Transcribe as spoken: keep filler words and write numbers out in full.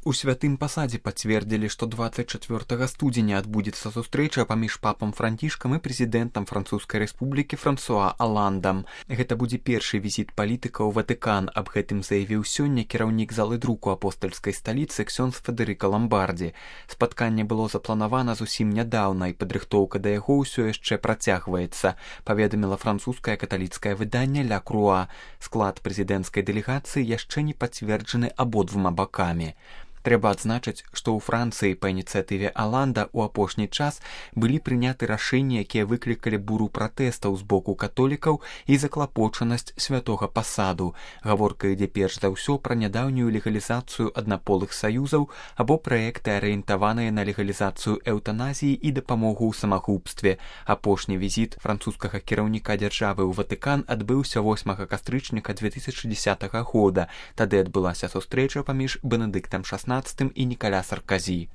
У святым пасадзе пацвердзілі, што дваццаць чацвёртага студзеня адбудзецца сустрэча паміж папам Францішкам і прэзідэнтам Французскай рэспублікі Франсуа Аландам. Гэта будзе першы візіт палітыка ў Ватыкан. Аб гэтым заявіў сёння кіраўнік залы друку апостальскай сталіцы ксёндз Федэрыка Ламбардзі. Спатканне было запланавана зусім нядаўна, і падрыхтоўка да яго ўсё яшчэ працягваецца, паведаміла французскае каталіцкае выданне «Ля Круа». Склад прэзідэнцкай дэлегацыі яшчэ не пацверджаны абодвума бакамі. Трэба адзначыць, што ў Францыі па ініцыятыве Аланда ў апошні час былі прыняты рашэнні, якія выклікалі буру пратэстаў з боку католікаў і заклапочанасць святога пасаду. Гаворка ідзе перш за ўсё пра нядаўнюю легалізацыю аднаполых саюзаў або праекты, арыентаваныя на легалізацыю эўтаназіі і дапамогу ў самагубстве. Апошні візіт французскага кіраўніка дзяржавы ў Ватыкан адбыўся восьмага кастрычніка дзве тысячы дзесятага года. Тады адбылася сустрэча паміж Бенедыктам шаснаццатым і Нікаля Сарказі.